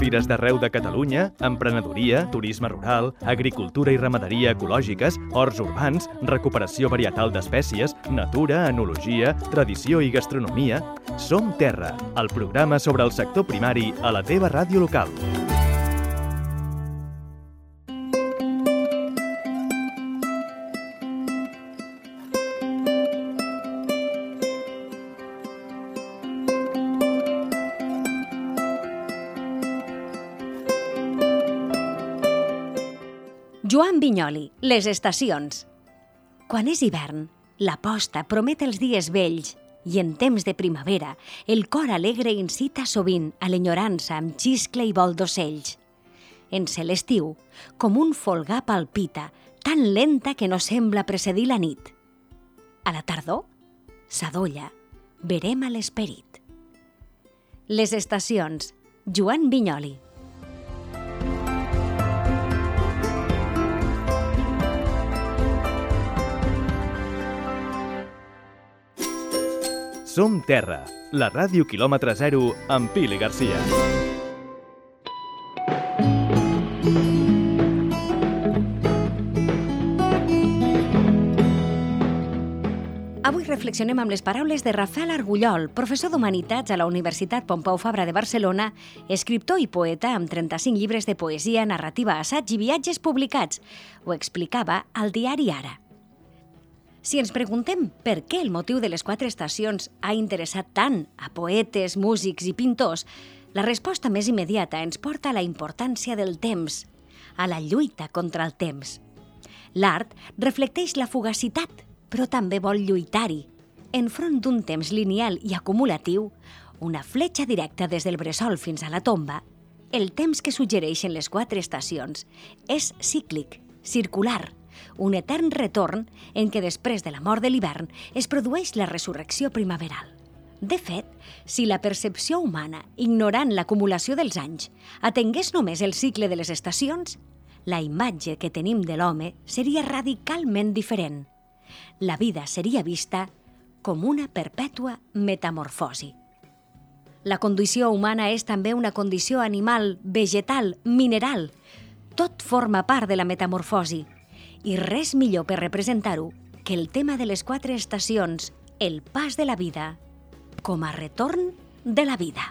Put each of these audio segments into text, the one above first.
fires d'arreu de Catalunya, emprenedoria, turisme rural, agricultura i ramaderia ecològiques, horts urbans, recuperació varietal d'espècies, natura, enologia, tradició i gastronomia. Som Terra, el programa sobre el sector primari a la teva ràdio local. Joan Vinyoli, les estacions. Quan és hivern, la posta promet els dies vells i en temps de primavera el cor alegre incita sovint a l'enyorança amb xiscle i vol d'ocells. En l'estiu, com un folgar palpita, tan lenta que no sembla precedir la nit. A la tardor, s'adolla, verem a l'esperit. Les estacions, Joan Vinyoli. Som Terra, la ràdio quilòmetre zero amb Pili Garcia. Avui reflexionem amb les paraules de Rafael Argullol, professor d'Humanitats a la Universitat Pompeu Fabra de Barcelona, escriptor i poeta amb 35 llibres de poesia, narrativa, assaig i viatges publicats. Ho explicava al diari Ara. Si ens preguntem per què el motiu de les 4 estacions ha interessat tant a poetes, músics i pintors, la resposta més immediata ens porta a la importància del temps, a la lluita contra el temps. L'art reflecteix la fugacitat, però també vol lluitar-hi. Enfront d'un temps lineal i acumulatiu, una fletxa directa des del bressol fins a la tomba, el temps que suggereixen les 4 estacions és cíclic, circular, un etern retorn en què després de la mort de l'hivern es produeix la resurrecció primaveral. De fet, si la percepció humana, ignorant l'acumulació dels anys, atengués només el cicle de les estacions, la imatge que tenim de l'home seria radicalment diferent. La vida seria vista com una perpètua metamorfosi. La condició humana és també una condició animal, vegetal, mineral. Tot forma part de la metamorfosi. I res millor per representar-ho que el tema de les 4 estacions, el pas de la vida, com a retorn de la vida.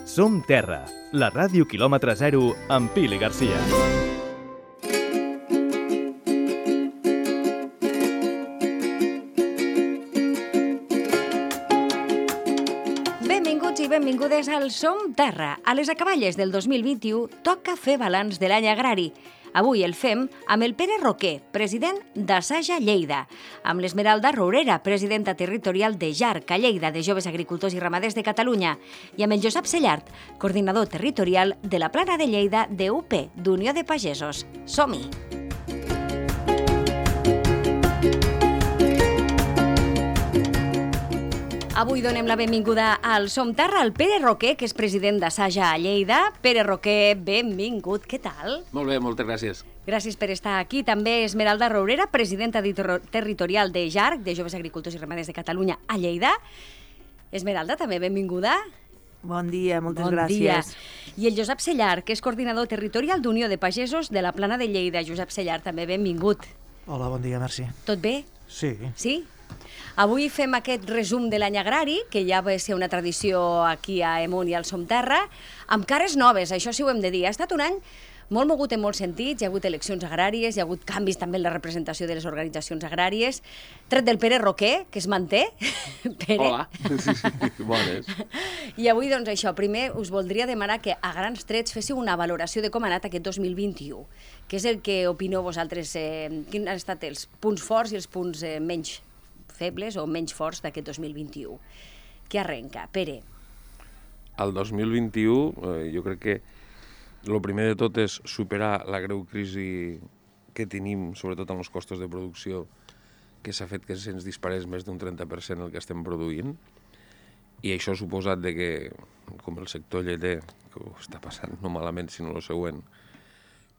Som Terra, la ràdio quilòmetre zero amb Pili Garcia. Benvingudes al Som Terra. A les acaballes del 2021 toca fer balanç de l'any agrari. Avui el fem amb el Pere Roquer, president d'Assaja Lleida, amb l'Esmeralda Rourera, presidenta territorial de JARC a Lleida, de Joves Agricultors i Ramaders de Catalunya, i amb el Josep Sellart, coordinador territorial de la Plana de Lleida d'UP, d'Unió de Pagesos. Som-hi! Avui donem la benvinguda al Som Terra al Pere Roquer, que és president d'Assaja a Lleida. Pere Roquer, benvingut. Què tal? Molt bé, moltes gràcies. Gràcies per estar aquí. També Esmeralda Rourera, presidenta territorial de JARC, de Joves Agricultors i Ramaders de Catalunya a Lleida. Esmeralda, també benvinguda. Bon dia, moltes gràcies. I el Josep Sellart, que és coordinador territorial d'Unió de Pagesos de la Plana de Lleida. Josep Sellart, també benvingut. Hola, bon dia, merci. Tot bé? Sí. Sí? Avui fem aquest resum de l'any agrari, que ja va ser una tradició aquí a Emunt i al Som Terra, amb cares noves, això sí ho hem de dir. Ha estat un any molt mogut en molts sentits, hi ha hagut eleccions agràries, hi ha hagut canvis també en la representació de les organitzacions agràries, tret del Pere Roquer, que es manté. Pere. Hola, sí, bones. I avui, doncs això, primer us voldria demanar que a grans trets féssiu una valoració de com ha anat aquest 2021, que és el que opineu vosaltres, quins han estat els punts forts i els punts menys febles o menys forts d'aquest 2021. Què arrenca? Pere. El 2021 jo crec que el primer de tot és superar la greu crisi que tenim, sobretot en els costos de producció, que s'ha fet que se'ns disparés més d'un 30% el que estem produint, i això ha suposat que, com el sector lleter, que ho està passant no malament, sinó el següent,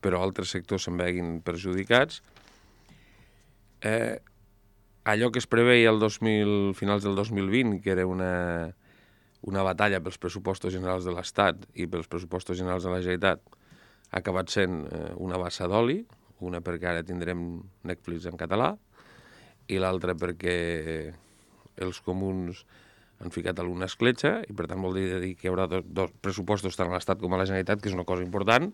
però altres sectors se'n veguin perjudicats. Allò que es preveia finals del 2020, que era una batalla pels pressupostos generals de l'Estat i pels pressupostos generals de la Generalitat, ha acabat sent una bassa d'oli, una perquè ara tindrem Netflix en català i l'altra perquè els comuns han ficat alguna escletxa i per tant vol dir que hi haurà dos pressupostos tant a l'Estat com a la Generalitat, que és una cosa important.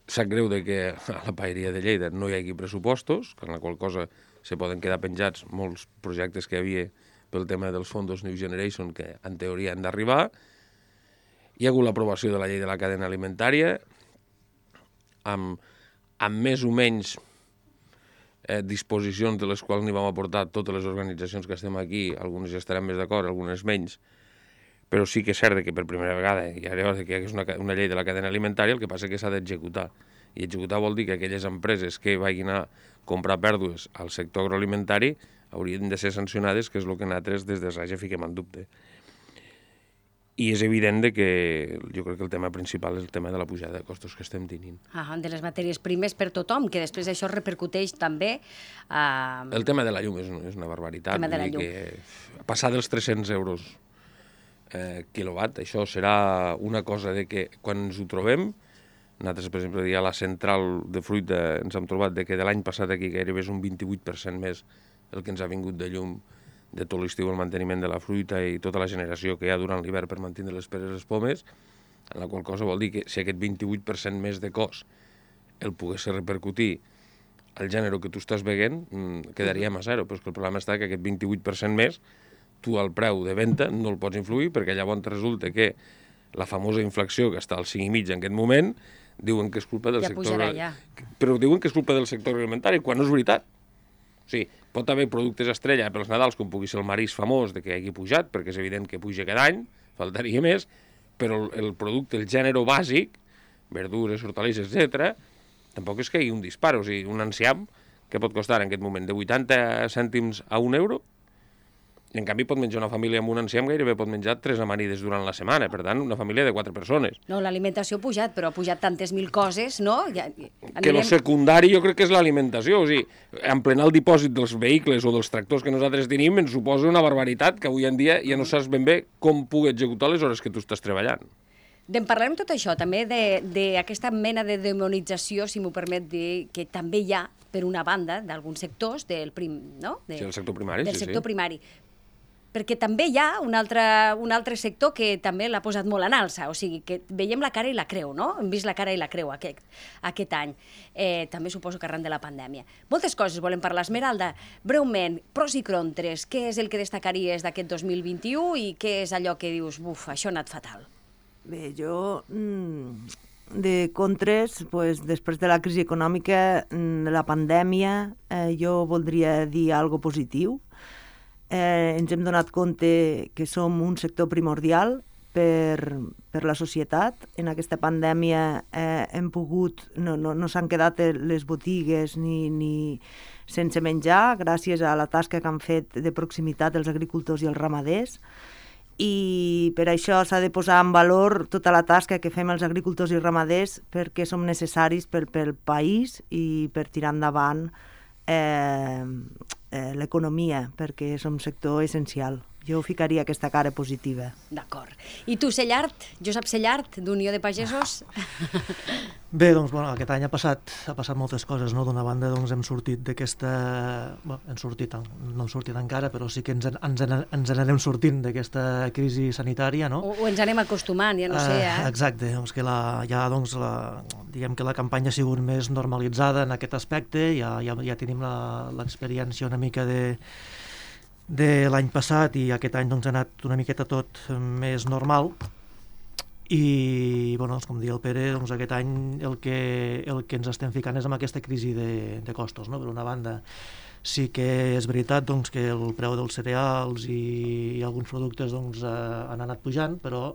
Sap greu que a la paeria de Lleida no hi hagi pressupostos, amb la qual cosa se poden quedar penjats molts projectes que hi havia pel tema dels fondos New Generation que en teoria han d'arribar. Hi ha hagut l'aprovació de la llei de la cadena alimentària amb més o menys disposicions de les quals n'hi vam aportar totes les organitzacions que estem aquí, algunes ja estaran més d'acord, algunes menys, però sí que és cert que per primera vegada hi ha una llei de la cadena alimentària, el que passa és que s'ha d'executar. I executar vol dir que aquelles empreses que vagin a comprar pèrdues al sector agroalimentari haurien de ser sancionades, que és el que nosaltres des de SAGE fiquem en dubte. I és evident que jo crec que el tema principal és el tema de la pujada de costos que estem tenint. De les matèries primes per tothom, que després això repercuteix també... El tema de la llum és una barbaritat. Passar dels 300 euros quilowatt, això serà una cosa de que quan ens ho trobem, nosaltres, per exemple, a la central de fruita ens hem trobat que de l'any passat aquí gairebé és un 28% més el que ens ha vingut de llum de tot l'estiu, el manteniment de la fruita i tota la generació que hi ha durant l'hivern per mantenir les peres i les pomes, en la qual cosa vol dir que si aquest 28% més de cost el pogués repercutir al gènere que tu estàs veient, quedaríem a zero, però és que el problema està que aquest 28% més, tu al preu de venda no el pots influir, perquè llavors resulta que la famosa inflació que està al 5,5 en aquest moment, diuen que és culpa del sector... Pujarà, ja. Però diuen que és culpa del sector alimentari, quan no és veritat. O sigui, pot haver productes estrella pels Nadals, com pugui ser el marís famós, de que hagi pujat, perquè és evident que puja cada any, faltaria més, però el producte, el gènere bàsic, verdures, hortalisses, etc., tampoc és que hi hagi un dispar. O sigui, un enciam que pot costar en aquest moment de 80 cèntims a 1 euro, i en canvi pot menjar una família amb un enciam, gairebé pot menjar 3 amanides durant la setmana, per tant, una família de 4 persones. No, l'alimentació ha pujat, però ha pujat tantes mil coses, no? Que el secundari jo crec que és l'alimentació, o sigui, emplenar el dipòsit dels vehicles o dels tractors que nosaltres tenim ens suposa una barbaritat que avui en dia ja no saps ben bé com pugui executar les hores que tu estàs treballant. Parlarem tot això, també d'aquesta mena de demonització, si m'ho permet dir, que també hi ha, per una banda, d'alguns sectors del sector primari, del sector primari. Perquè també hi ha un altre sector que també l'ha posat molt en alça, o sigui, que veiem la cara i la creu, no? Hem vist la cara i la creu aquest any. També suposo que arran de la pandèmia. Moltes coses volem parlar. Esmeralda, breument, pros i contres, què és el que destacaries d'aquest 2021 i què és allò que dius, buf, això ha anat fatal? Bé, jo, de contres, després de la crisi econòmica, de la pandèmia, jo voldria dir alguna cosa positiu. Ens hem donat compte que som un sector primordial per la societat. En aquesta pandèmia hem pogut, no s'han quedat les botigues ni sense menjar, gràcies a la tasca que han fet de proximitat els agricultors i els ramaders. I per això s'ha de posar en valor tota la tasca que fem els agricultors i ramaders, perquè som necessaris pel país i per tirar endavant l'economia, perquè som un sector essencial. Jo ficaria aquesta cara positiva. D'acord. I tu, Cellart, Josep Cellart, d'Unió de Pagesos? Bé, doncs, aquest any ha passat moltes coses, no? D'una banda, doncs, hem sortit d'aquesta... no hem sortit encara, però sí que ens n'anem sortint d'aquesta crisi sanitària, no? O ens anem acostumant, ja no sé, Exacte, doncs que diguem que la campanya ha sigut més normalitzada en aquest aspecte, ja tenim l'experiència una mica de l'any passat i aquest any doncs, ha anat una miqueta tot més normal i, com deia el Pere, doncs, aquest any el que ens estem ficant és amb aquesta crisi de costos, no? Per una banda, sí que és veritat doncs, que el preu dels cereals i alguns productes doncs, han anat pujant, però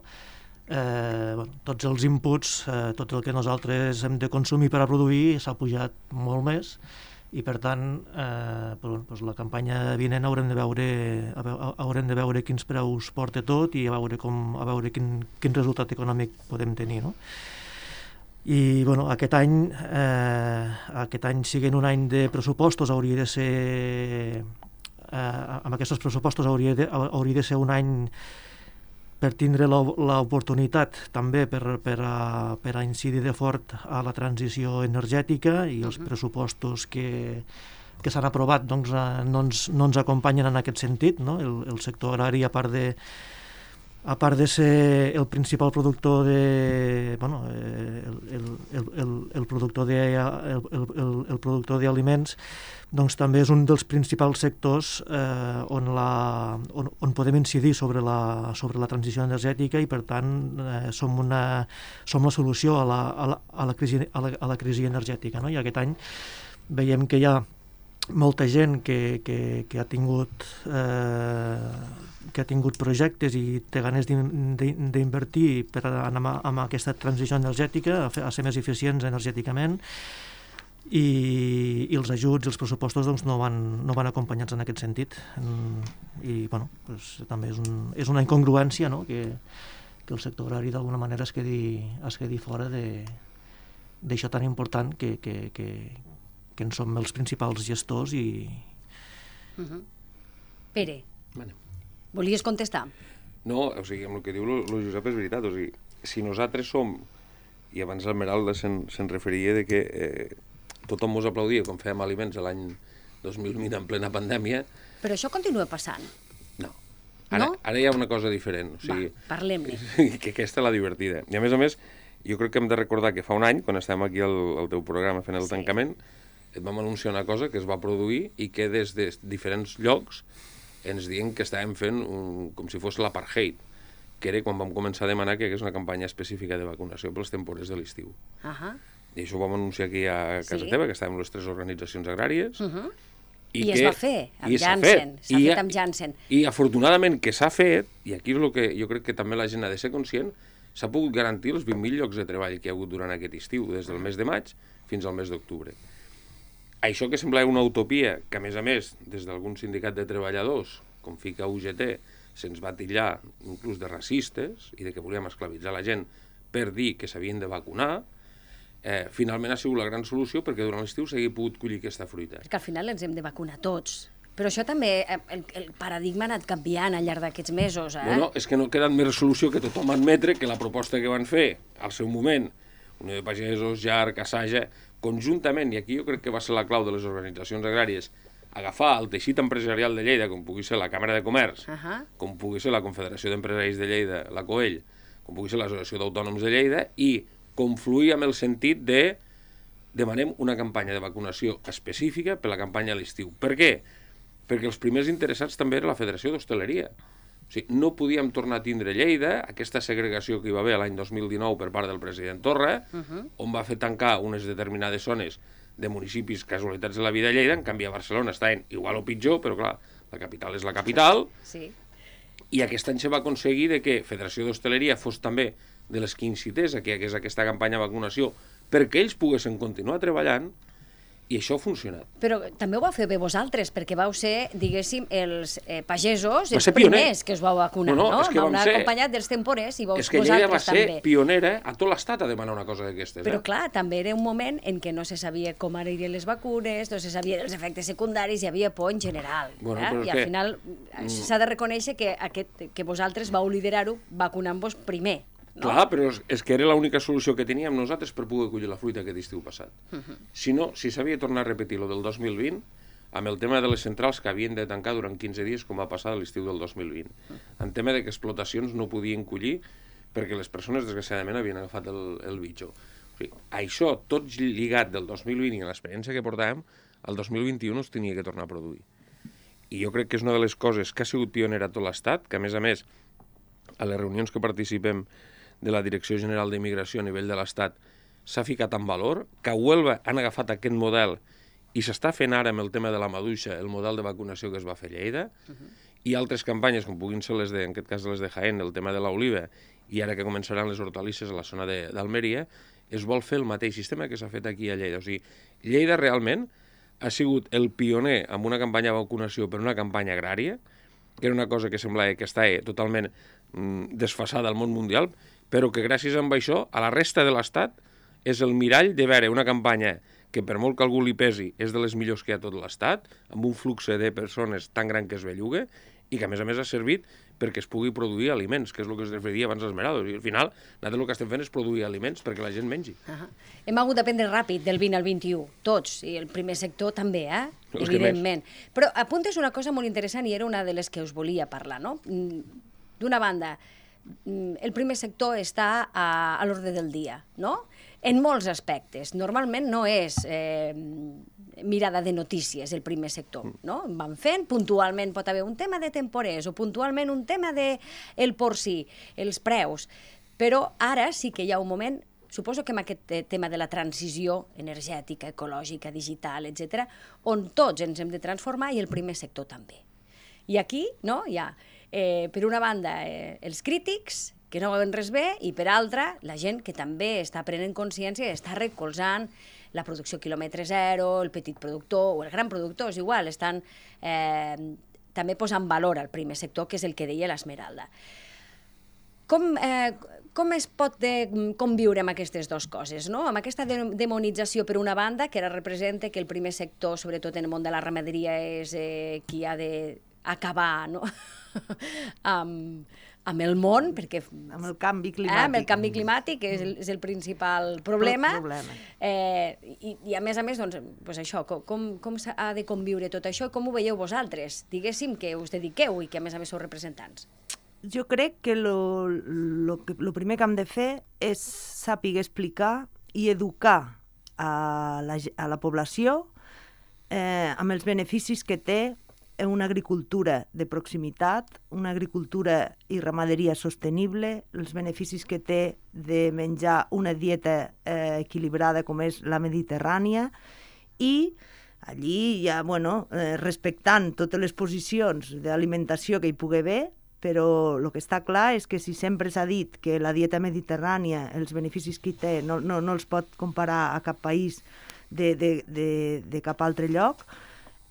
tots els inputs, tot el que nosaltres hem de consumir per a produir s'ha pujat molt més. I per tant, la campanya vinent haurem de veure quins preus porta tot i a veure quin resultat econòmic podem tenir, no? I bueno, aquest any siguent un any de pressupostos, hauria de ser amb aquests pressupostos hauria de ser un any per tindre l'oportunitat també per a incidir de fort a la transició energètica, i els pressupostos que s'han aprovat doncs, no ens acompanyen en aquest sentit, no? El sector agrari, a part de ser el principal productor el productor d'aliments, doncs també és un dels principals sectors on podem incidir sobre la transició energètica, i per tant som la solució a la crisi energètica, no? I aquest any veiem que hi ha molta gent que ha tingut projectes i té ganes d'invertir per anar amb aquesta transició energètica, a ser més eficients energèticament, i els ajuts, els pressupostos doncs, no van acompanyats en aquest sentit, i bueno, doncs, també és una incongruència, no? que el sector agrari d'alguna manera es quedi fora d'això tan important que en som els principals gestors. Pere, volies contestar? No, o sigui, amb el que diu el Josep és veritat. O sigui, si nosaltres som, i abans el Meralda se'n referia de que tothom mos aplaudia com fèiem aliments l'any 2020 en plena pandèmia. Però això continua passant. No. Ara hi ha una cosa diferent. O sigui, parlem-ne. Que aquesta és la divertida. I a més, jo crec que hem de recordar que fa un any, quan estàvem aquí al teu programa fent el tancament, et vam anunciar una cosa que es va produir i que des de diferents llocs ens diuen que estàvem fent com si fos l'apartheid, que era quan vam començar a demanar que hi hagués una campanya específica de vacunació pels temporers de l'estiu. I això ho vam anunciar aquí a casa teva, que estàvem les 3 organitzacions agràries. I es va fer amb Janssen. S'ha fet amb Janssen. I afortunadament que s'ha fet, i aquí és el que jo crec que també la gent ha de ser conscient, s'ha pogut garantir els 20.000 llocs de treball que hi ha hagut durant aquest estiu, des del mes de maig fins al mes d'octubre. Això que semblava una utopia, que a més, des d'algun sindicat de treballadors, com FICA UGT, se'ns va titllar inclús de racistes i de que volíem esclavitzar la gent per dir que s'havien de vacunar, finalment ha sigut la gran solució perquè durant l'estiu s'hagi pogut collir aquesta fruita. Perquè al final ens hem de vacunar tots. Però això també, el paradigma ha anat canviant al llarg d'aquests mesos. No, és que no queda més resolució que tothom admetre que la proposta que van fer al seu moment, Unió de Pagesos, JARC, Assaja, conjuntament, i aquí jo crec que va ser la clau de les organitzacions agràries, agafar el teixit empresarial de Lleida, com pugui ser la Càmera de Comerç, com pugui ser la Confederació d'Empresaris de Lleida, la COEL, com pugui ser l'Associació d'Autònoms de Lleida, i confluir amb el sentit de demanem una campanya de vacunació específica per la campanya a l'estiu. Per què? Perquè els primers interessats també era la Federació d'Hostaleria. O sigui, no podíem tornar a tindre Lleida, aquesta segregació que hi va haver l'any 2019 per part del president Torra, on va fer tancar unes determinades zones de municipis casualitats de la vida a Lleida. En canvi a Barcelona estaven igual o pitjor, però clar, la capital és la capital. Sí. I aquest any se va aconseguir que Federació d'Hostaleria fos també de les que incités a que hi hagués aquesta campanya de vacunació perquè ells poguessin continuar treballant, i això ha funcionat. Però també ho vau fer bé vosaltres, perquè vau ser, diguéssim, els pagesos, els primers que us vau vacunar, no? Vau anar acompanyat dels temporers i vosaltres també. És que Lleida va ser pionera a tot l'estat a demanar una cosa d'aquestes. Però clar, també era un moment en què no se sabia com anirien les vacunes, no se sabia dels efectes secundaris, hi havia por en general. I al final s'ha de reconèixer que vosaltres vau liderar-ho vacunant-vos primer. No? Clar, però és que era l'única solució que teníem nosaltres per poder collir la fruita aquest estiu passat. Si no, si s'havia tornat a repetir lo del 2020, amb el tema de les centrals que havien de tancar durant 15 dies, com va passar a l'estiu del 2020. En tema de que explotacions no podien collir perquè les persones, desgraciadament, havien agafat el bitxo. O sigui, això, tot lligat del 2020 i l'experiència que portàvem, el 2021 es tenia que tornar a produir. I jo crec que és una de les coses que ha sigut pionera a tot l'Estat, que a més, a les reunions que participem de la Direcció General d'Immigració a nivell de l'Estat s'ha ficat en valor, que a Huelva han agafat aquest model i s'està fent ara amb el tema de la maduixa, el model de vacunació que es va fer a Lleida, i altres campanyes, com puguin ser les en aquest cas les de Jaén, el tema de l'oliva, i ara que començaran les hortalisses a la zona d'Almeria, es vol fer el mateix sistema que s'ha fet aquí a Lleida. O sigui, Lleida realment ha sigut el pioner amb una campanya de vacunació per una campanya agrària, que era una cosa que semblava que estava totalment desfasada al món mundial, però que gràcies a això, a la resta de l'Estat, és el mirall de veure una campanya que per molt que algú li pesi és de les millors que hi ha a tot l'Estat, amb un flux de persones tan gran que es belluga i que a més ha servit perquè es pugui produir aliments, que és el que es referia abans Esmeralda. I al final, nosaltres el que estem fent és produir aliments perquè la gent mengi. Hem hagut d'aprendre ràpid del 20 al 21, tots, i el primer sector també, evidentment. Però apuntes una cosa molt interessant i era una de les que us volia parlar, no? D'una banda, el primer sector està a l'ordre del dia, no? En molts aspectes. Normalment no és mirada de notícies el primer sector, no? Van fent, puntualment pot haver un tema de temporers o puntualment un tema del porcí, els preus, però ara sí que hi ha un moment, suposo que amb aquest tema de la transició energètica, ecològica, digital, etc., on tots ens hem de transformar i el primer sector també. I aquí, no, hi ha, per una banda, els crítics, que no veuen res bé, i per altra, la gent que també està prenent consciència i està recolzant la producció quilòmetre zero, el petit productor o el gran productor, és igual, estan també posant valor al primer sector, que és el que deia l'Esmeralda. Com es pot conviure amb aquestes dues coses, no? Amb aquesta demonització per una banda, que ara representa que el primer sector, sobretot en el món de la ramaderia, és qui ha d'acabar, no? amb el món, perquè... Amb el canvi climàtic. Amb el canvi climàtic, és el principal problema. I a més, doncs això, com s'ha de conviure tot això i com ho veieu vosaltres? Diguéssim que us dediqueu i que a més sou representants. Jo crec que el primer que hem de fer és saber explicar i educar a la població amb els beneficis que té una agricultura de proximitat, una agricultura i ramaderia sostenible, els beneficis que té de menjar una dieta equilibrada com és la mediterrània, i allí ja, respectant totes les posicions d'alimentació que hi pugui haver, però el que està clar és que si sempre s'ha dit que la dieta mediterrània, els beneficis que hi té, no els pot comparar a cap país de cap altre lloc,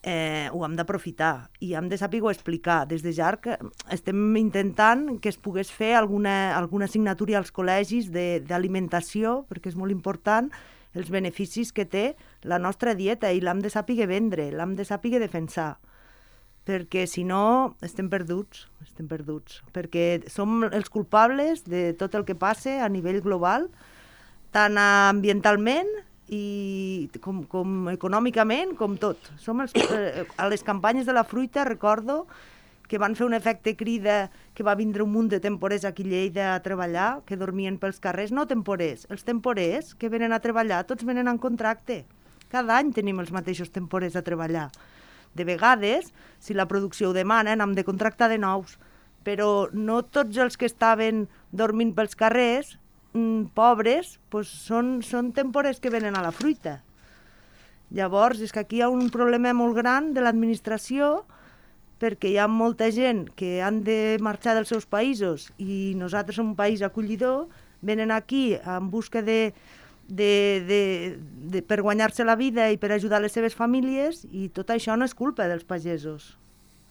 ho hem d'aprofitar i hem de saber explicar. Des de ja que estem intentant que es pogués fer alguna assignatura als col·legis d'alimentació, perquè és molt important els beneficis que té la nostra dieta i l'hem de saber vendre, l'hem de saber defensar, perquè si no estem perduts, perquè som els culpables de tot el que passa a nivell global, tant ambientalment i com econòmicament, com tot. A les campanyes de la fruita recordo que van fer un efecte crida, que va vindre un munt de temporers aquí a Lleida a treballar, que dormien pels carrers, no temporers. Els temporers que venen a treballar, tots venen en contracte. Cada any tenim els mateixos temporers a treballar. De vegades, si la producció ho demana, hem de contractar de nous, però no tots els que estaven dormint pels carrers pobres, són temporers que venen a la fruita. Llavors, és que aquí hi ha un problema molt gran de l'administració, perquè hi ha molta gent que han de marxar dels seus països i nosaltres som un país acollidor, venen aquí en busca per guanyar-se la vida i per ajudar les seves famílies, i tot això no és culpa dels pagesos.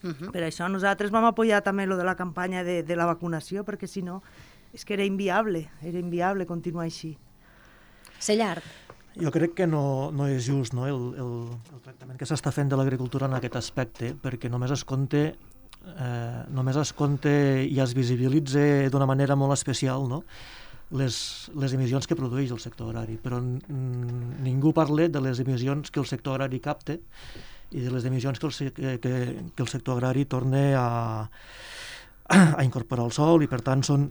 Per això nosaltres vam apoyar també lo de la campanya de la vacunació, perquè si no és que era inviable continuar així. Cellart. Jo crec que no és just, no, el tractament que s'està fent de l'agricultura en aquest aspecte, perquè només es compte i es visibilitza d'una manera molt especial, no, les emissions que produeix el sector agrari, però ningú parla de les emissions que el sector agrari capta i de les emissions que el sector agrari torna a incorporar al sol, i per tant som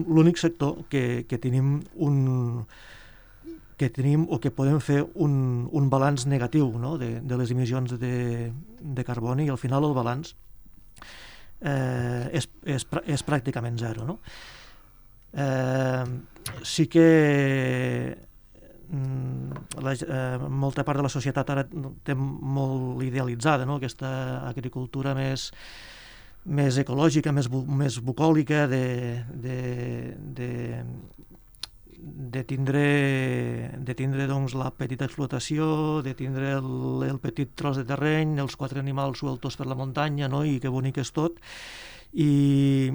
l'únic sector que tenim o que podem fer un balanç negatiu, no, de les emissions de carboni, i al final el balanç és pràcticament zero, no? Sí que molta part de la societat ara té molt idealitzada, no, aquesta agricultura més ecològica, més bucòlica, de tindre doncs, la petita explotació, de tindre el petit tros de terreny, els 4 animals sueltos per la muntanya, no? I que bonic és tot, i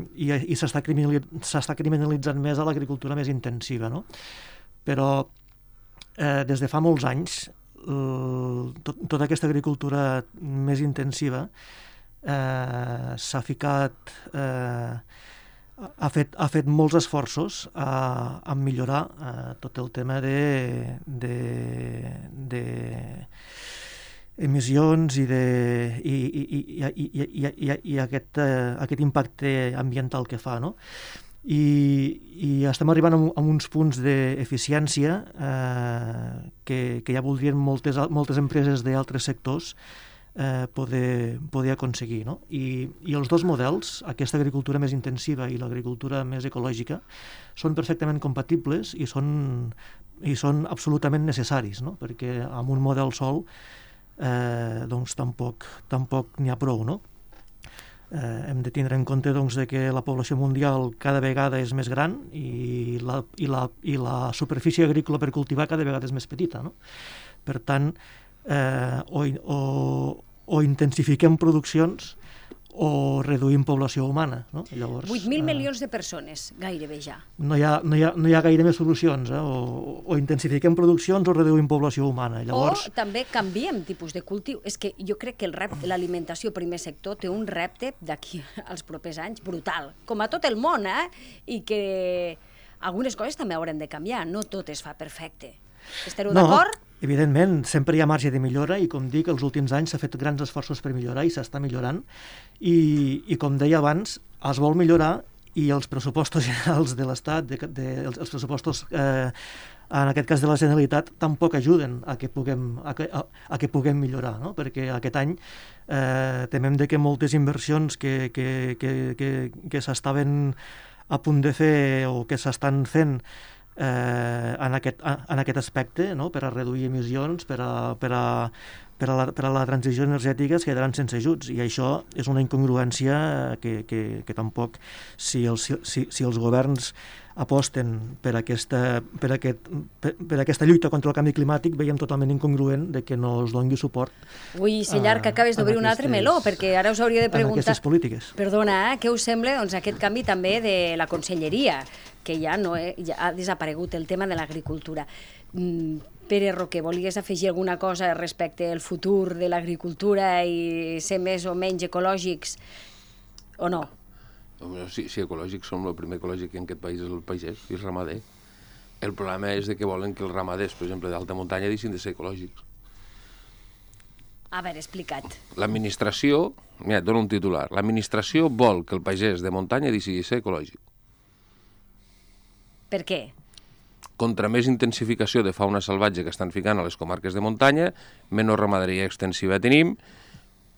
s'està criminalitzant més a l'agricultura més intensiva, no? Però des de fa molts anys tota aquesta agricultura més intensiva s'ha ficat, ha fet molts esforços a millorar tot el tema de emissions i aquest impacte ambiental que fa, no? I estem arribant a uns punts d'eficiència que ja voldrien moltes empreses d'altres sectors poder aconseguir, no? I els dos models, aquesta agricultura més intensiva i l'agricultura més ecològica, són perfectament compatibles i són absolutament necessaris, no? Perquè amb un model sol doncs tampoc n'hi ha prou, no? Hem de tindre en compte doncs, que la població mundial cada vegada és més gran i la superfície agrícola per cultivar cada vegada és més petita, no? Per tant, o intensifiquem produccions o reduïm població humana, no? Llavors, 8.000 milions de persones, gairebé ja. No hi ha gaire més solucions, o intensifiquem produccions o reduïm població humana. Llavors... O també canviem tipus de cultiu. És que jo crec que l'alimentació primer sector té un repte d'aquí als propers anys brutal, com a tot el món, i que algunes coses també haurem de canviar, no tot es fa perfecte. Estareu d'acord? Evidentment, sempre hi ha marge de millora i, com dic, els últims anys s'ha fet grans esforços per millorar i s'està millorant i com deia abans, es vol millorar i els pressupostos generals de l'Estat, els pressupostos, en aquest cas de la Generalitat, tampoc ajuden a que puguem millorar, no? Perquè aquest any temem que moltes inversions que s'estaven a punt de fer o que s'estan fent en aquest aspecte, no? Per a reduir emissions, per a la transició energètica, es quedaran sense ajuts, i això és una incongruència que tampoc, si els governs aposten per aquesta lluita contra el canvi climàtic, veiem totalment incongruent de que no es doni suport. Ui, Sellar, que acabes d'obrir un altre meló, perquè ara us hauria de preguntar... En aquestes polítiques. Perdona, què us sembla aquest canvi també de la conselleria, que ja ha desaparegut el tema de l'agricultura. Pere Roquer, volies afegir alguna cosa respecte al futur de l'agricultura i ser més o menys ecològics o no? Sí, ecològics som el primer ecològic en aquest país és el pagès i el ramader. El problema és que volen que els ramaders, per exemple, d'alta muntanya, deixin de ser ecològics. A veure, explica't. L'administració, mira, et dono un titular, l'administració vol que el pagès de muntanya deixi de ser ecològic. Per què? Contra més intensificació de fauna salvatge que estan ficant a les comarques de muntanya, menys ramaderia extensiva tenim,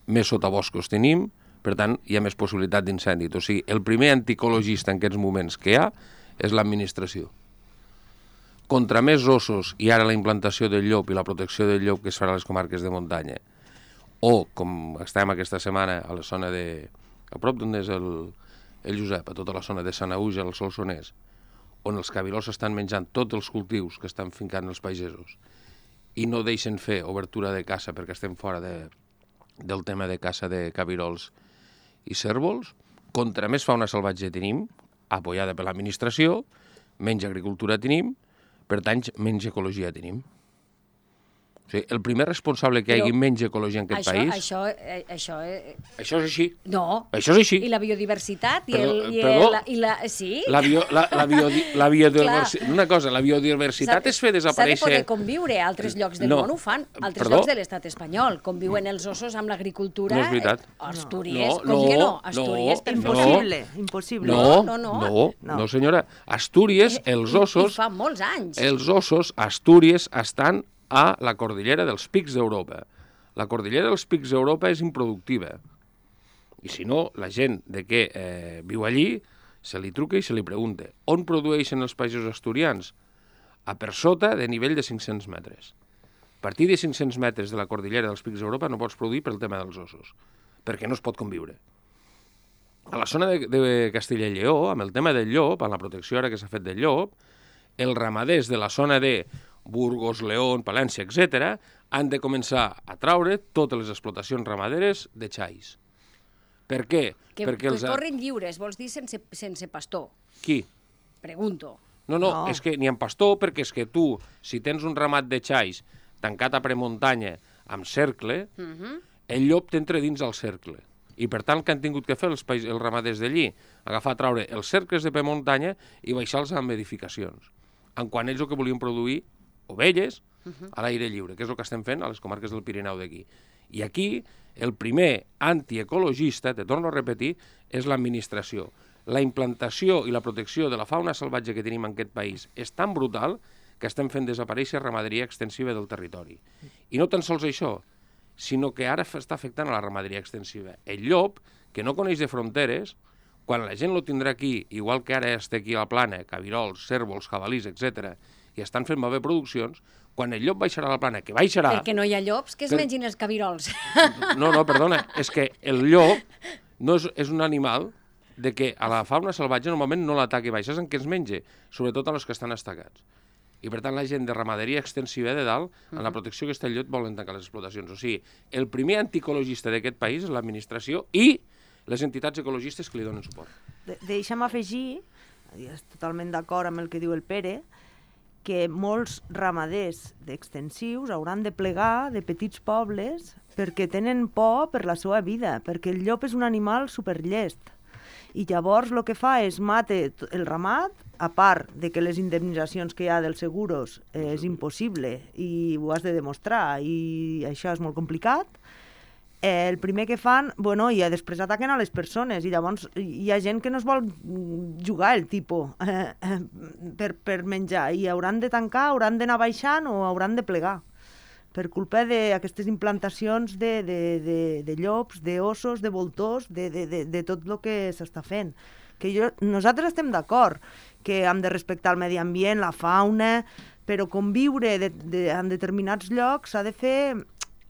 més sotaboscos tenim, per tant, hi ha més possibilitat d'incendi. O sigui, el primer anticologista en aquests moments que hi ha és l'administració. Contra més ossos, i ara la implantació del llop i la protecció del llop que es farà a les comarques de muntanya, o, com estem aquesta setmana a la zona de... a prop d'on és el Josep, a tota la zona de Sanaüja, al Solsonès, on els cabirós estan menjant tots els cultius que estan fincant els pagesos i no deixen fer obertura de caça perquè estem fora del tema de caça de cabirols i cérvols. Contra més fauna salvatge tenim, apoyada per l'administració, menys agricultura tenim, per tant, menys ecologia tenim. O sigui, el primer responsable que hi hagi menys ecologia en aquest país... Això és així. No. Això és així. I la biodiversitat? Sí? La biodiversitat... Una cosa, la biodiversitat és fer desaparèixer... S'ha de poder conviure. Altres llocs del món ho fan. Altres llocs de l'estat espanyol. Conviuen els ossos amb l'agricultura. No és veritat. Astúries. Com que no? Astúries, Impossible. No, senyora. Astúries, els ossos... I fa molts anys. Els ossos, Astúries, estan a la cordillera dels Pics d'Europa. La cordillera dels Pics d'Europa és improductiva. I si no, la gent que viu allí se li truca i se li pregunta on produeixen els països asturians? A per sota de nivell de 500 metres. A partir de 500 metres de la cordillera dels Pics d'Europa no pots produir pel tema dels ossos, perquè no es pot conviure. A la zona de Castella i Lleó, amb el tema del llop, amb la protecció ara que s'ha fet del llop, els ramaders de la zona de Burgos, León, Palència, etc., han de començar a traure totes les explotacions ramaderes de xais. Per què? Que corren lliures, vols dir sense pastor? Qui? Pregunto. No, és que n'hi ha pastor, perquè és que tu, si tens un ramat de xais tancat a premuntanya amb cercle, el llop t'entra dins el cercle. I per tant, el que han tingut que fer els ramaders d'allí, agafar, traure els cercles de premuntanya i baixar-los amb edificacions. En quan ells el que volien produir ovelles a l'aire lliure, que és el que estem fent a les comarques del Pirineu d'aquí. I aquí, el primer antiecologista, te torno a repetir, és l'administració. La implantació i la protecció de la fauna salvatge que tenim en aquest país és tan brutal que estem fent desaparèixer ramaderia extensiva del territori. I no tan sols això, sinó que ara està afectant a la ramaderia extensiva. El llop, que no coneix de fronteres, quan la gent lo tindrà aquí, igual que ara està aquí a la plana, cabirols, cérvols, jabalís, etc., i estan fent malbé produccions, quan el llop baixarà a la plana, que baixarà... Perquè no hi ha llops que es mengin els cabirols. No, perdona, és que el llop no és un animal de que a la fauna salvatge normalment no l'ataca i baixa, és en què es menja, sobretot a los que estan estacats. I per tant la gent de ramaderia extensiva de dalt, en la protecció que està el llop, volen tancar les explotacions. O sigui, el primer anticologista d'aquest país és l'administració i les entitats ecologistes que li donen suport. Deixa'm afegir, és totalment d'acord amb el que diu el Pere, que molts ramaders extensius hauran de plegar de petits pobles perquè tenen por per la seva vida, perquè el llop és un animal superllest. I llavors el que fa és mata el ramat, a part de que les indemnitzacions que hi ha dels seguros és impossible i ho has de demostrar i això és molt complicat, el primer que fan, i després ataquen a les persones i llavors hi ha gent que no es vol jugar el tipus per menjar i hauran de tancar, hauran d'anar baixant o hauran de plegar per culpa d'aquestes implantacions de llops, d'ossos, de voltors, de tot el que s'està fent. Nosaltres estem d'acord que hem de respectar el medi ambient, la fauna, però conviure en determinats llocs s'ha de fer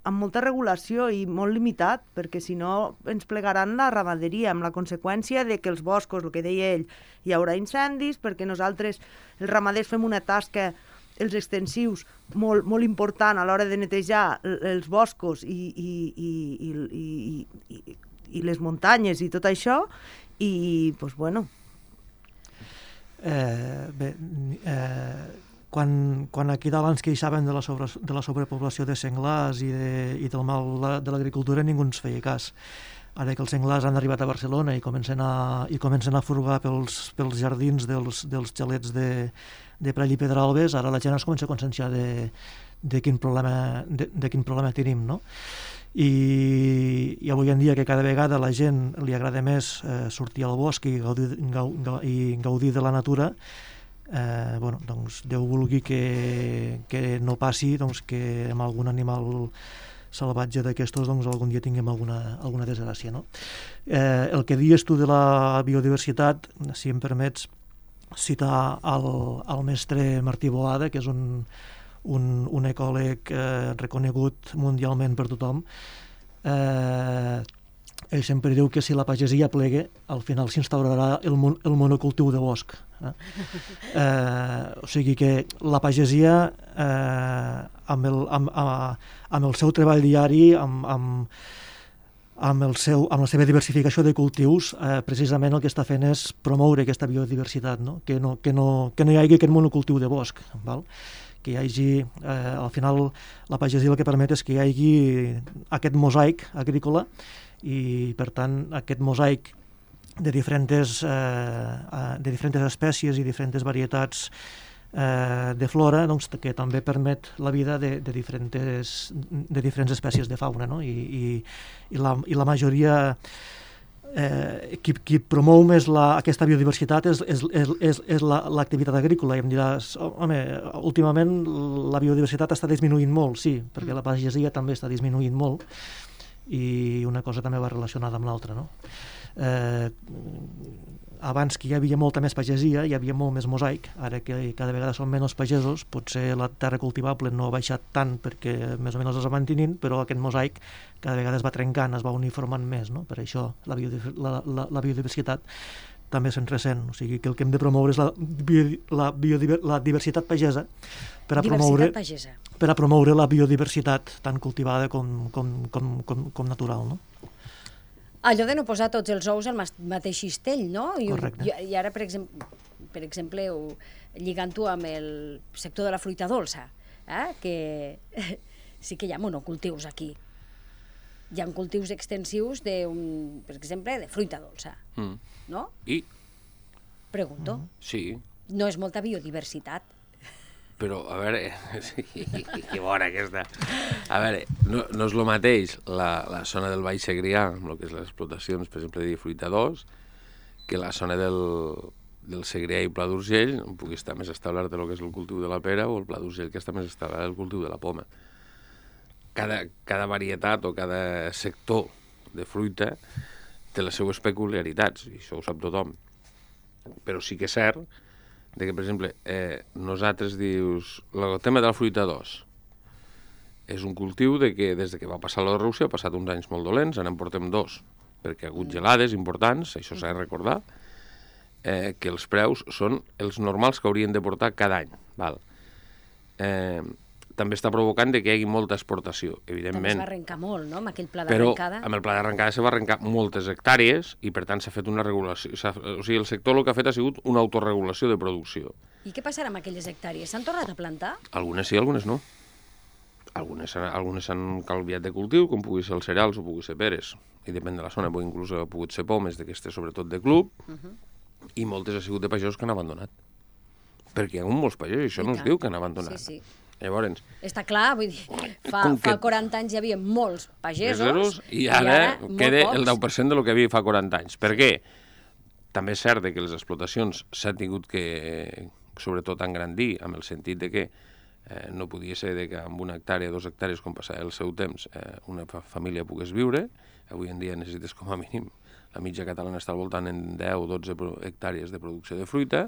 amb molta regulació i molt limitat, perquè si no ens plegaran la ramaderia, amb la conseqüència de que els boscos, el que deia ell, hi haurà incendis, perquè nosaltres, els ramaders, fem una tasca els extensius molt important a l'hora de netejar els boscos i les muntanyes i tot això, i, doncs, bueno... Quan aquí dalt ens queixaven de la sobrepoblació de senglars i del mal de l'agricultura, ningú ens feia cas. Ara que els senglars han arribat a Barcelona i comencen a furgar pels jardins dels xalets de Prat i Pedralbes, ara la gent es comença a conscienciar de quin problema tenim, no? I avui en dia, que cada vegada a la gent li agrada més sortir al bosc i gaudir de la natura, doncs Déu vulgui que no passi que amb algun animal salvatge d'aquestos algun dia tinguem alguna desgràcia, no? El que dius tu de la biodiversitat, si em permets citar el mestre Martí Boada, que és un ecòleg reconegut mundialment per tothom. Ell sempre diu que si la pagesia plegue, al final s'instaurarà el monocultiu de bosc. O sigui que la pagesia, amb el seu treball diari, amb la seva diversificació de cultius, precisament el que està fent és promoure aquesta biodiversitat, no? Que no hi hagi aquest monocultiu de bosc, val? Que hi hagi, al final, la pagesia el que permet és que hi hagi aquest mosaic agrícola i, per tant, aquest mosaic de diferents espècies i diferents varietats de flora, doncs, que també permet la vida de diferents espècies de fauna, no? I la majoria, qui promou més aquesta biodiversitat és l'activitat agrícola. I em diràs, home, últimament la biodiversitat està disminuint molt, sí, perquè la pagesia també està disminuint molt, i una cosa també va relacionada amb l'altra, no? Abans que hi havia molta més pagesia, hi havia molt més mosaic. Ara que cada vegada són menys pagesos, potser la terra cultivable no ha baixat tant perquè més o menys es va mantenint, però aquest mosaic cada vegada es va trencant, es va uniformant més, no? Per això la biodiversitat també se'n ressent. O sigui que el que hem de promoure és la diversitat pagesa per a promoure la biodiversitat tant cultivada com natural, no? Allò de no posar tots els ous al mateix cistell, no? Correcte. I ara, per exemple, lligant-ho amb el sector de la fruita dolça, que sí que hi ha monocultius aquí. Hi ha cultius extensius, per exemple, de fruita dolça, no? I? Pregunto. Sí. No és molta biodiversitat. Però, a veure, que bona aquesta. A veure, no és el mateix la zona del Baix Segrià, amb el que és les explotacions, per exemple, de fruita d'os, que la zona del Segrià i Pla d'Urgell, on pugui estar més establert el que és el cultiu de la pera, o el Pla d'Urgell, que està més establert el cultiu de la poma. Cada varietat o cada sector de fruita té les seues peculiaritats, i això ho sap tothom. Però sí que és cert que, per exemple, nosaltres dius, el tema de la fruita d'os és un cultiu que des que va passar la Rússia ha passat uns anys molt dolents, en portem 2, perquè ha hagut gelades importants, això s'ha de recordar, que els preus són els normals que haurien de portar cada any. Val? També està provocant que hi hagi molta exportació, evidentment. També es va arrencar molt, no?, amb aquell pla d'arrencada. Però amb el pla d'arrencada se va arrencar moltes hectàrees i, per tant, s'ha fet una regulació. O sigui, el sector el que ha fet ha sigut una autorregulació de producció. I què passarà amb aquelles hectàrees? S'han tornat a plantar? Algunes sí, algunes no. Algunes s'han canviat de cultiu, com pugui ser els cereals o pugui ser peres. I depèn de la zona, però inclús ha pogut ser pomes d'aquestes, sobretot de club, i moltes ha sigut de pagesos que han abandonat. Perquè hi ha molts pagesos, això no es diu que han abandonat. Sí. Llavors... Està clar, vull dir, fa 40 anys hi havia molts pagesos i ara queda el 10% pocs. del que havia fa 40 anys. Per què? També és cert que les explotacions s'han tingut que, sobretot, engrandir, amb el sentit de que no podia ser que amb 1 hectàrea, 2 hectàrees, com passava el seu temps, una família pogués viure. Avui en dia necessites com a mínim, la mitja catalana està al voltant en 10 o 12 hectàrees de producció de fruita.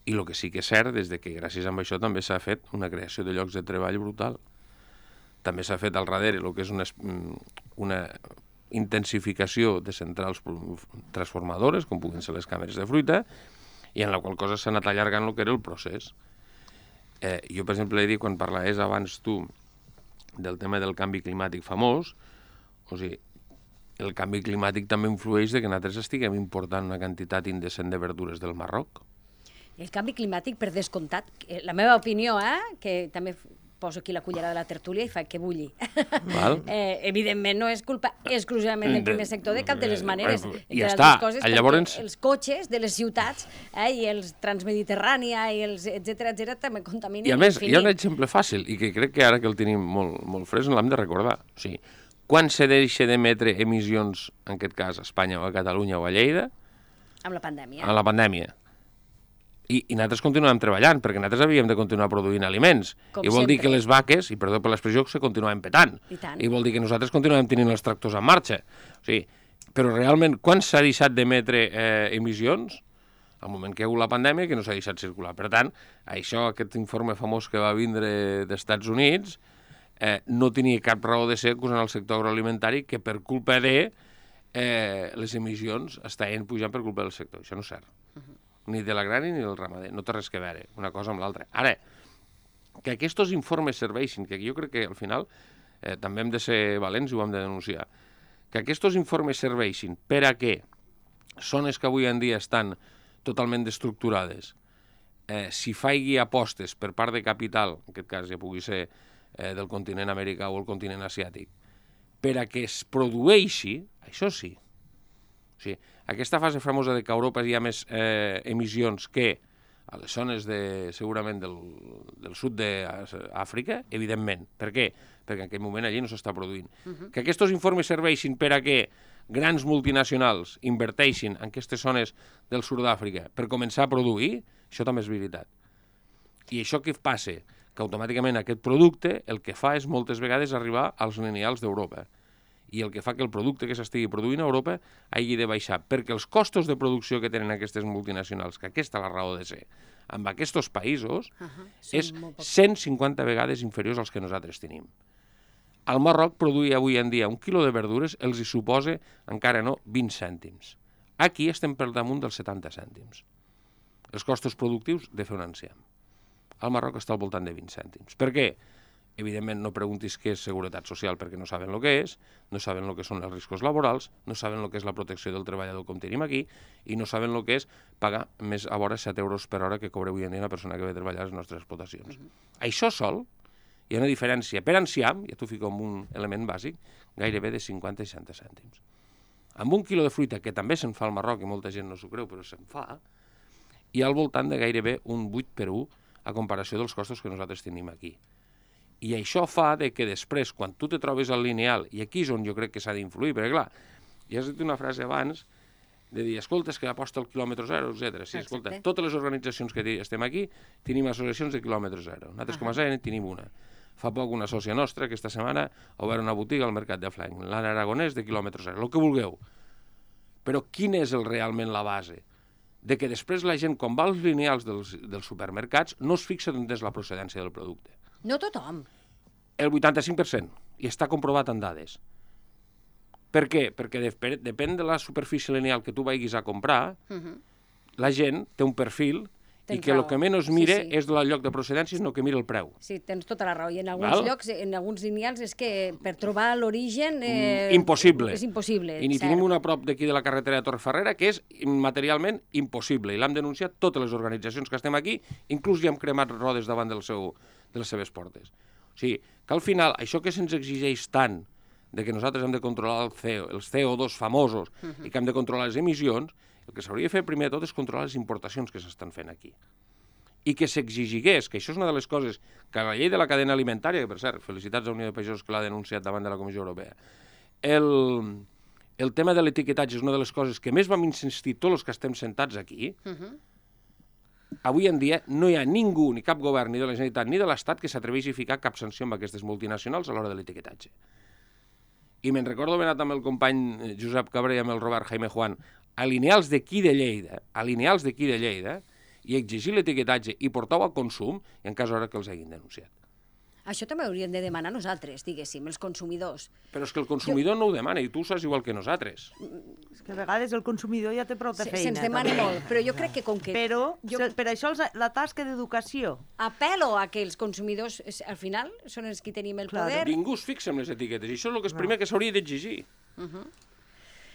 I el que sí que és cert és que gràcies a això també s'ha fet una creació de llocs de treball brutal. També s'ha fet al darrere el que és una intensificació de centrals transformadores, com puguin ser les càmeres de fruita, i en la qual cosa s'ha anat allargant el que era el procés. Jo, per exemple, he dit, quan parlaves abans tu del tema del canvi climàtic famós, o sigui, el canvi climàtic també influeix que nosaltres estiguem important una quantitat indecent de verdures del Marroc. El canvi climàtic, per descomptat, la meva opinió, que també poso aquí la cullera de la tertúlia i fa que bulli. Evidentment no és culpa exclusivament del primer sector de cap de les maneres. I ja està. Llavors... Els cotxes de les ciutats i els Transmediterrània i els etcètera també contaminen. I a més, hi ha un exemple fàcil i que crec que ara que el tenim molt fresc l'hem de recordar. O sigui, quan se deixa d'emetre emissions, en aquest cas a Espanya o a Catalunya o a Lleida? Amb la pandèmia. Amb la pandèmia. I nosaltres continuem treballant, perquè nosaltres havíem de continuar produint aliments. I vol dir que les vaques, i perdó per l'expressió, se continuaven petant. I vol dir que nosaltres continuem tenint els tractors en marxa. O sigui, però realment, quan s'ha deixat d'emetre emissions? Al moment que hi ha hagut la pandèmia, que no s'ha deixat circular. Per tant, aquest informe famós que va vindre dels Estats Units no tenia cap raó de ser acusant el sector agroalimentari que per culpa de les emissions estaven pujant per culpa del sector. Això no és cert. Ni de l'agrari ni del ramader, no té res que veure una cosa amb l'altra. Ara, que aquests informes serveixin, que jo crec que al final també hem de ser valents i ho hem de denunciar, que aquests informes serveixin per a què zones que avui en dia estan totalment destructurades, si faigui apostes per part de capital, en aquest cas ja pugui ser del continent americà o el continent asiàtic, per a que es produeixi, això sí. O sigui, aquesta fase famosa de que a Europa hi ha més emissions que a les zones segurament del sud d'Àfrica, evidentment. Per què? Perquè en aquell moment allí no s'està produint. Que aquests informes serveixin per a que grans multinacionals inverteixin en aquestes zones del sud d'Àfrica per començar a produir, això també és veritat. I això què passa? Que automàticament aquest producte el que fa és moltes vegades arribar als lineals d'Europa. I el que fa que el producte que s'estigui produint a Europa hagi de baixar, perquè els costos de producció que tenen aquestes multinacionals, que aquesta és la raó de ser, amb aquests països, és 150 vegades inferiors als que nosaltres tenim. Al Marroc produir avui en dia un quilo de verdures els hi suposa, encara no, 20 cèntims. Aquí estem per damunt dels 70 cèntims. Els costos productius de fer un enciam. Al Marroc està al voltant de 20 cèntims. Per què? Evidentment, no preguntis què és seguretat social perquè no saben el que és, no saben el que són els riscos laborals, no saben el que és la protecció del treballador com tenim aquí i no saben el que és pagar més a vora 7 euros per hora que cobra avui en dia una persona que ve a treballar a les nostres explotacions. Això sol, hi ha una diferència per enciam, ja t'ho fico amb un element bàsic, gairebé de 50 i 60 cèntims. Amb un quilo de fruita, que també se'n fa al Marroc i molta gent no s'ho creu, però se'n fa, hi ha al voltant de gairebé un 8 per 1 a comparació dels costos que nosaltres tenim aquí. I això fa que després, quan tu te trobes al lineal, i aquí és on jo crec que s'ha d'influir, perquè clar, ja has dit una frase abans de dir, escolta, és que aposta al quilòmetre zero, etc. Sí, escolta, totes les organitzacions que estem aquí tenim associacions de quilòmetre zero. Nosaltres com a SEN tenim una. Fa poc una sòcia nostra, aquesta setmana, ha obert una botiga al Mercat de Flanc, l'Anna Aragonès de quilòmetre zero, el que vulgueu. Però quina és realment la base? De que després la gent, quan va als lineals dels supermercats, no es fixa on és la procedència del producte. No tothom. El 85%, i està comprovat en dades. Per què? Perquè depèn de la superfície lineal que tu vagis a comprar, la gent té un perfil i que el que menys mire és el lloc de procedència, sinó que mira el preu. Sí, tens tota la raó. I en alguns llocs, en alguns lineals, és que per trobar l'origen... Impossible. És impossible, I n'hi tenim una a prop d'aquí de la carretera de Torreferrera que és materialment impossible. I l'hem denunciat totes les organitzacions que estem aquí, inclús ja hem cremat rodes davant de les seves portes. O sigui, que al final, això que se'ns exigeix tant de que nosaltres hem de controlar els CO2 famosos i que hem de controlar les emissions, el que s'hauria de fer primer de tot és controlar les importacions que s'estan fent aquí. I que s'exigigués, que això és una de les coses que la llei de la cadena alimentària, que per cert, felicitats a Unió de Pagesos que l'ha denunciat davant de la Comissió Europea, el tema de l'etiquetatge és una de les coses que més vam insistir tots els que estem sentats aquí. Avui en dia no hi ha ningú, ni cap govern, ni de la Generalitat, ni de l'Estat, que s'atreveixi a ficar cap sanció amb aquestes multinacionals a l'hora de l'etiquetatge. I me'n recordo haver anat amb el company Josep Cabré i amb el Robert Jaime Juan a lineals d'aquí de Lleida, i exigir l'etiquetatge i portar-ho a consum, i en cas hora que els hagin denunciat. Això també hauríem de demanar nosaltres, diguéssim, els consumidors. Però és que el consumidor no ho demana i tu ho saps igual que nosaltres. És que a vegades el consumidor ja té prou de feina. Se'ns demana molt, però jo crec que com que... Però per això la tasca d'educació. Apel·lo a que els consumidors, al final, són els que tenim el poder. Ningú es fixa en les etiquetes i això és el que és primer que s'hauria d'exigir.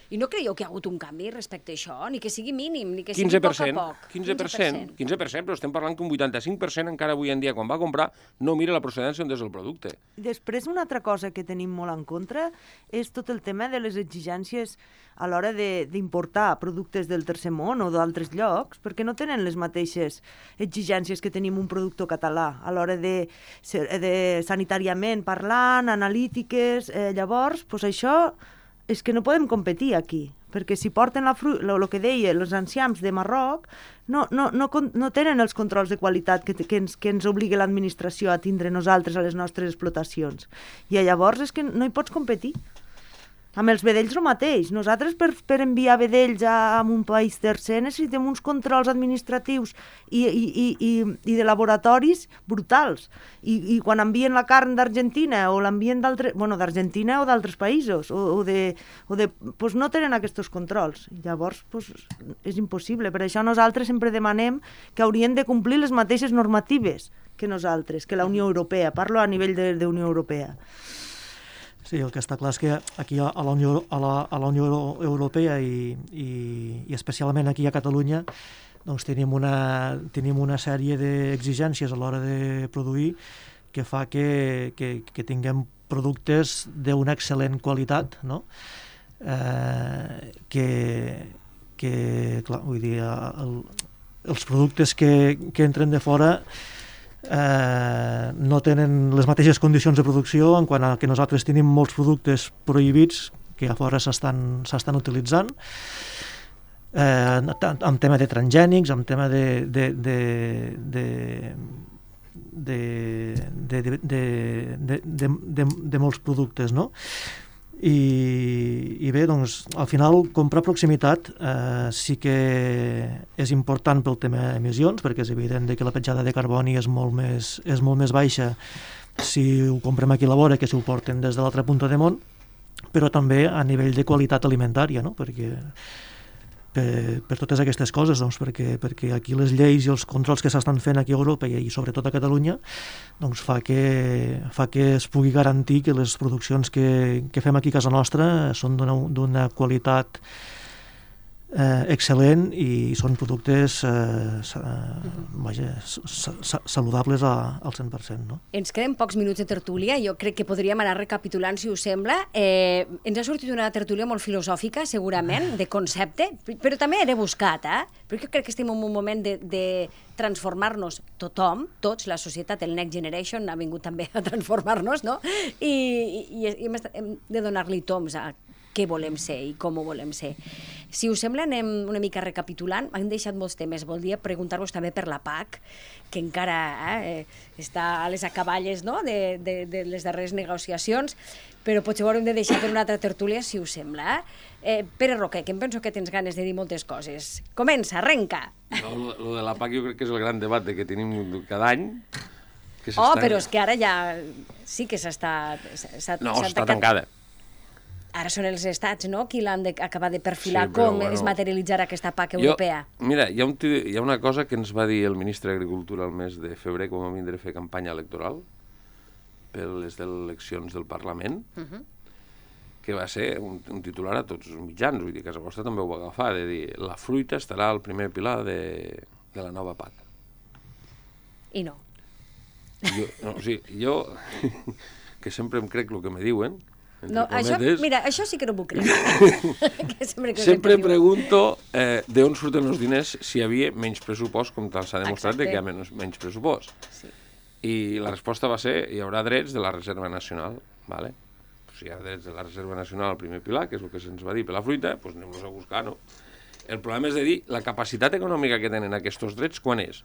I no creieu que hi ha hagut un canvi respecte a això? Ni que sigui mínim, ni que sigui poc a poc. 15%, però estem parlant que un 85% encara avui en dia, quan va comprar, no mira la procedència on és el producte. Després, una altra cosa que tenim molt en contra és tot el tema de les exigències a l'hora d'importar productes del tercer món o d'altres llocs, perquè no tenen les mateixes exigències que tenim un productor català a l'hora de sanitàriament parlant, analítiques, llavors, doncs això... és que no podem competir aquí, perquè si porten el que deia, els enciams de Marroc, no tenen els controls de qualitat que ens obliga l'administració a tindre nosaltres a les nostres explotacions. I llavors és que no hi pots competir. Amb els vedells el mateix. Nosaltres per enviar vedells a un país tercer necessitem uns controls administratius i de laboratoris brutals. I quan envien la carn d'Argentina o l'envien d'Argentina o d'altres països doncs no tenen aquests controls. Llavors és impossible. Per això nosaltres sempre demanem que haurien de complir les mateixes normatives que nosaltres, que la Unió Europea. Parlo a nivell de Unió Europea. Sí, el que està clar és que aquí a la Unió Europea i especialment aquí a Catalunya doncs tenim una sèrie d'exigències a l'hora de produir que fa que tinguem productes d'una excel·lent qualitat, no? Clar, vull dir, els productes que entren de fora no tenen les mateixes condicions de producció en quant a que nosaltres tenim molts productes prohibits que a fora s'estan utilitzant en tema de transgènics, en tema de molts productes, no? I bé, doncs, al final, comprar proximitat sí que és important pel tema emissions, perquè és evident que la petjada de carboni és molt més baixa si ho comprem aquí a la vora que si ho porten des de l'altra punta de món, però també a nivell de qualitat alimentària, no? Perquè per totes aquestes coses, doncs, perquè aquí les lleis i els controls que s'estan fent aquí a Europa i sobretot a Catalunya doncs fa que es pugui garantir que les produccions que fem aquí a casa nostra són d'una qualitat excel·lent i són productes saludables al 100%. No? Ens queden pocs minuts de tertúlia, jo crec que podríem anar recapitulant, si us sembla. Ens ha sortit una tertúlia molt filosòfica, segurament, de concepte, però també de buscat, perquè jo crec que estem en un moment de transformar-nos tothom, tots, la societat, el Next Generation ha vingut també a transformar-nos, no? I hem de donar-li toms a què volem ser i com ho volem ser. Si us sembla, anem una mica recapitulant. Hem deixat molts temes. Voldria preguntar-vos també per la PAC, que encara està a les acaballes, no?, de les darreres negociacions, però potser ho haurem de deixar per una altra tertúlia, si us sembla. Pere Roquer, que em penso que tens ganes de dir moltes coses. Comença, arrenca! No, lo de la PAC jo crec que és el gran debat que tenim cada any. Però és que ara ja sí que s'està... No, està tancada. Ara són els estats, no?, qui l'han d'acabar de perfilar com es materialitzarà aquesta PAC europea. Mira, hi ha una cosa que ens va dir el ministre d'Agricultura el mes de febrer, quan vam vindre a fer campanya electoral per les eleccions del Parlament, que va ser un titular a tots els mitjans, vull dir, casa vostra també ho va agafar, de dir, la fruita estarà al primer pilar de la nova PAC. I no. Jo que sempre em crec el que me diuen, no, mira, això sí que no m'ho crec. Sempre pregunto d'on surten els diners si hi havia menys pressupost, com tal s'ha demostrat que hi ha menys pressupost. Sí. I la resposta va ser, hi haurà drets de la Reserva Nacional. Vale? Si hi ha drets de la Reserva Nacional al primer pilar, que és el que se'ns va dir per la fruita, doncs anem-los a buscar, no? El problema és de dir, la capacitat econòmica que tenen aquests drets, quan és?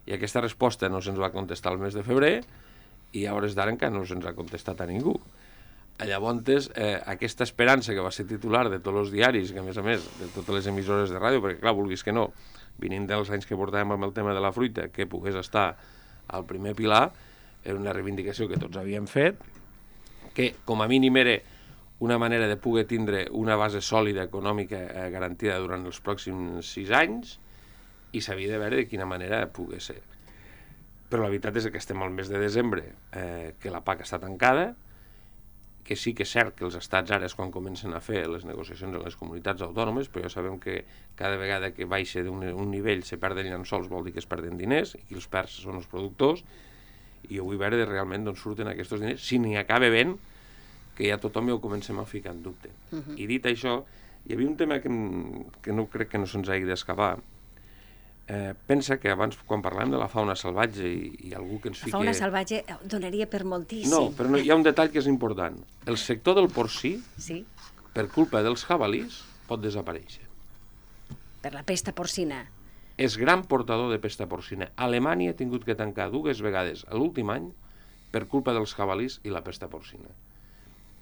I aquesta resposta no se'ns va contestar el mes de febrer, i a hores d'ara encara no se'ns ha contestat a ningú. Llavors, aquesta esperança que va ser titular de tots els diaris, que a més, de totes les emissores de ràdio, perquè clar, vulguis que no, venint dels anys que portàvem amb el tema de la fruita, que pogués estar al primer pilar, era una reivindicació que tots havíem fet, que com a mínim era una manera de poder tindre una base sòlida econòmica garantida durant els pròxims 6 anys, i s'havia de veure de quina manera pogués ser. Però la veritat és que estem al mes de desembre, que la PAC està tancada, que sí que és cert que els estats ara és quan comencen a fer les negociacions en les comunitats autònomes, però ja sabem que cada vegada que baixa d'un nivell se perden llençols, vol dir que es perden diners, i qui els perd són els productors, i jo vull veure realment d'on surten aquests diners, si n'hi acaba ben, que ja tothom ja ho comencem a ficar en dubte. I dit això, hi havia un tema que no crec que no se'ns hagi d'escapar. Pensa que abans, quan parlàvem de la fauna salvatge i algú que ens fiqui... La fauna salvatge donaria per moltíssim. No, però hi ha un detall que és important. El sector del porcí, per culpa dels jabalís, pot desaparèixer. Per la pesta porcina. És gran portador de pesta porcina. Alemanya ha tingut que tancar 2 vegades l'últim any per culpa dels jabalís i la pesta porcina.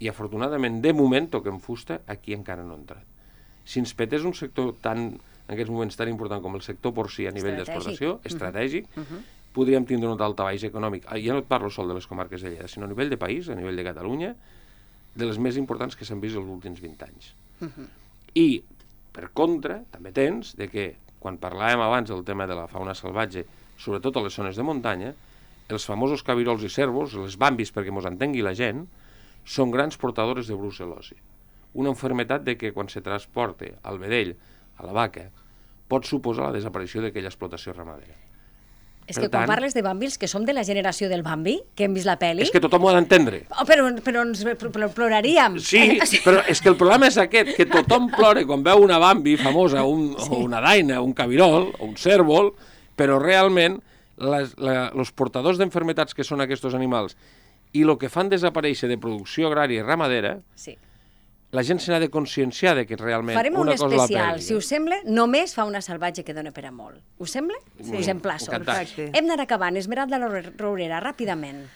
I afortunadament, de moment, toquem fusta, aquí encara no ha entrat. Si ens petés un sector en aquests moments tan important com el sector porcí a nivell d'exportació, estratègic, podríem tindre un daltabaix econòmic. Ja no et parlo sol de les comarques de Lleida, sinó a nivell de país, a nivell de Catalunya, de les més importants que s'han vist els últims 20 anys. I, per contra, també tens que, quan parlàvem abans del tema de la fauna salvatge, sobretot a les zones de muntanya, els famosos cabirols i cérvols, les bambis, perquè mos entengui la gent, són grans portadores de brucel·losi. Una malaltia de que quan se transporta al vedell, a la vaca, pot suposar la desaparició d'aquella explotació ramadera. És que quan parles de bambis, que som de la generació del Bambi, que hem vist la pel·li... És que tothom ho ha d'entendre. Però ens ploraríem. Sí, però és que el problema és aquest, que tothom plora quan veu una Bambi famosa, o una daina, un cabirol, o un cérvol, però realment els portadors d'enfermetats que són aquests animals i el que fan desaparèixer de producció agrària i ramadera... La gent se n'ha de conscienciar que realment farem una cosa la perdi. Farem un especial, si us sembla, només fauna salvatge que dona per a molt. Us sembla? Sí, us emplaço. Perfecte. Hem d'anar acabant. Esmeralda Rourera, ràpidament.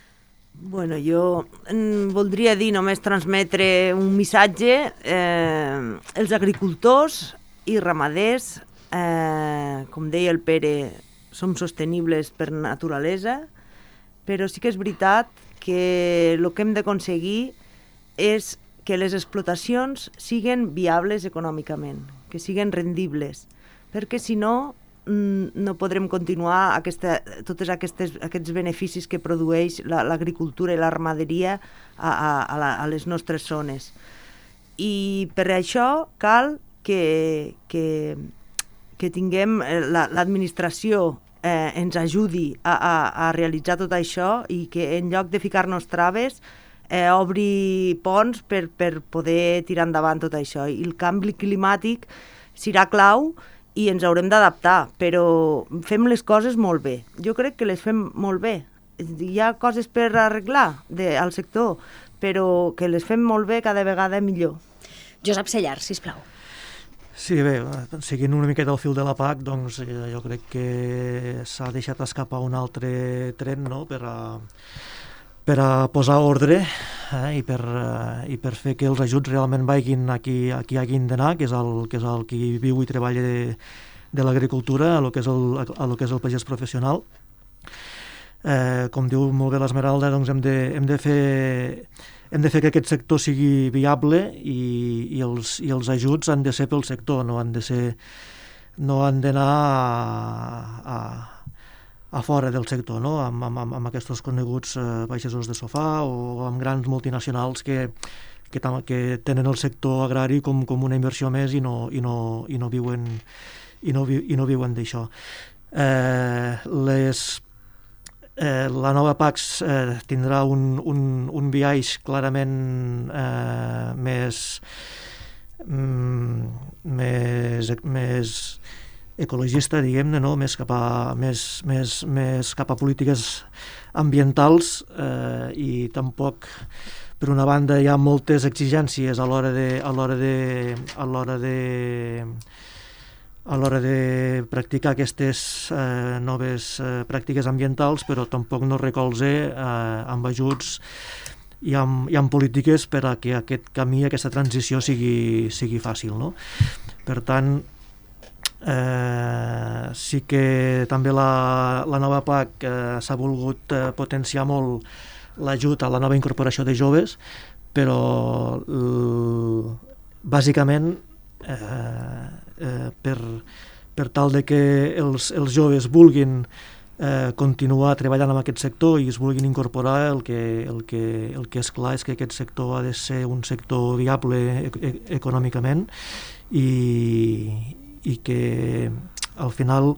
Bueno, jo voldria dir, només transmetre un missatge. Els agricultors i ramaders, com deia el Pere, som sostenibles per naturalesa, però sí que és veritat que el que hem d'aconseguir és que les explotacions siguin viables econòmicament, que siguen rendibles, perquè si no, no podrem continuar tots aquests beneficis que produeix l'agricultura i la ramaderia a les nostres zones. I per això cal que tinguem l'administració ens ajudi a realitzar tot això i que en lloc de ficar-nos traves obri ponts per poder tirar endavant tot això. I el canvi climàtic serà clau i ens haurem d'adaptar, però fem les coses molt bé. Jo crec que les fem molt bé. Hi ha coses per arreglar al sector, però que les fem molt bé cada vegada millor. Josep Sellar, sisplau. Sí, bé, seguint una miqueta el fil de la PAC, doncs jo crec que s'ha deixat escapar un altre tren, no?, per a posar ordre i per fer que els ajuts realment vagin a qui hagin d'anar, que és el qui viu i treballa de l'agricultura, a lo que és el pagès professional. Com diu molt bé l'Esmeralda, doncs hem de fer que aquest sector sigui viable i els ajuts han de ser pel sector, no han d'anar a fora del sector, no? amb aquests coneguts pagesos de sofà o amb grans multinacionals que tenen el sector agrari com una inversió més i no viuen d'això. La nova PAC tindrà un biaix clarament més ecologista, diguem-ne, no? més cap a polítiques ambientals i tampoc, per una banda, hi ha moltes exigències a l'hora de practicar aquestes noves pràctiques ambientals, però tampoc no recolza amb ajuts i amb polítiques per a que aquest camí, aquesta transició sigui fàcil, no? Per tant, sí que també la nova PAC s'ha volgut potenciar molt l'ajut a la nova incorporació de joves, però bàsicament per tal de que els joves vulguin continuar treballant en aquest sector i es vulguin incorporar, el que és clar és que aquest sector ha de ser un sector viable econòmicament i que al final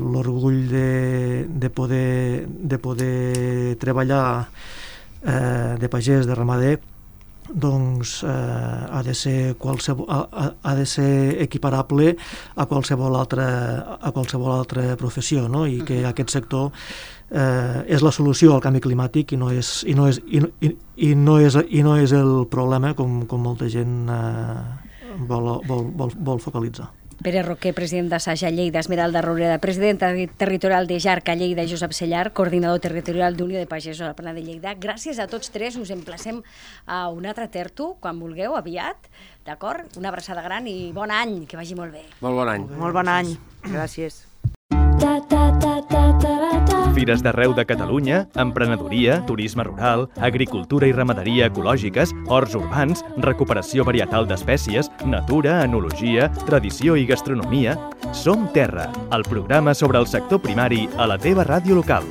l'orgull de poder treballar de pagès, de ramader, doncs ha de ser equiparable a qualsevol altra professió, no? I que aquest sector és la solució al canvi climàtic i no és el problema com molta gent vol focalitzar. Pere Roquer, president d'Assaja Lleida, Esmeralda Roureda, presidenta territorial de Jarca Lleida, i Josep Sellar, coordinador territorial d'Unió de Pagesos a la Plana de Lleida. Gràcies a tots tres, us emplacem a un altre tertu, quan vulgueu, aviat, d'acord? Una abraçada gran i bon any, que vagi molt bé. Molt bon any. Molt bon any, gràcies. Fires d'arreu de Catalunya, emprenedoria, turisme rural, agricultura i ramaderia ecològiques, horts urbans, recuperació varietal d'espècies, natura, enologia, tradició i gastronomia. Som Terra, el programa sobre el sector primari a la teva ràdio local.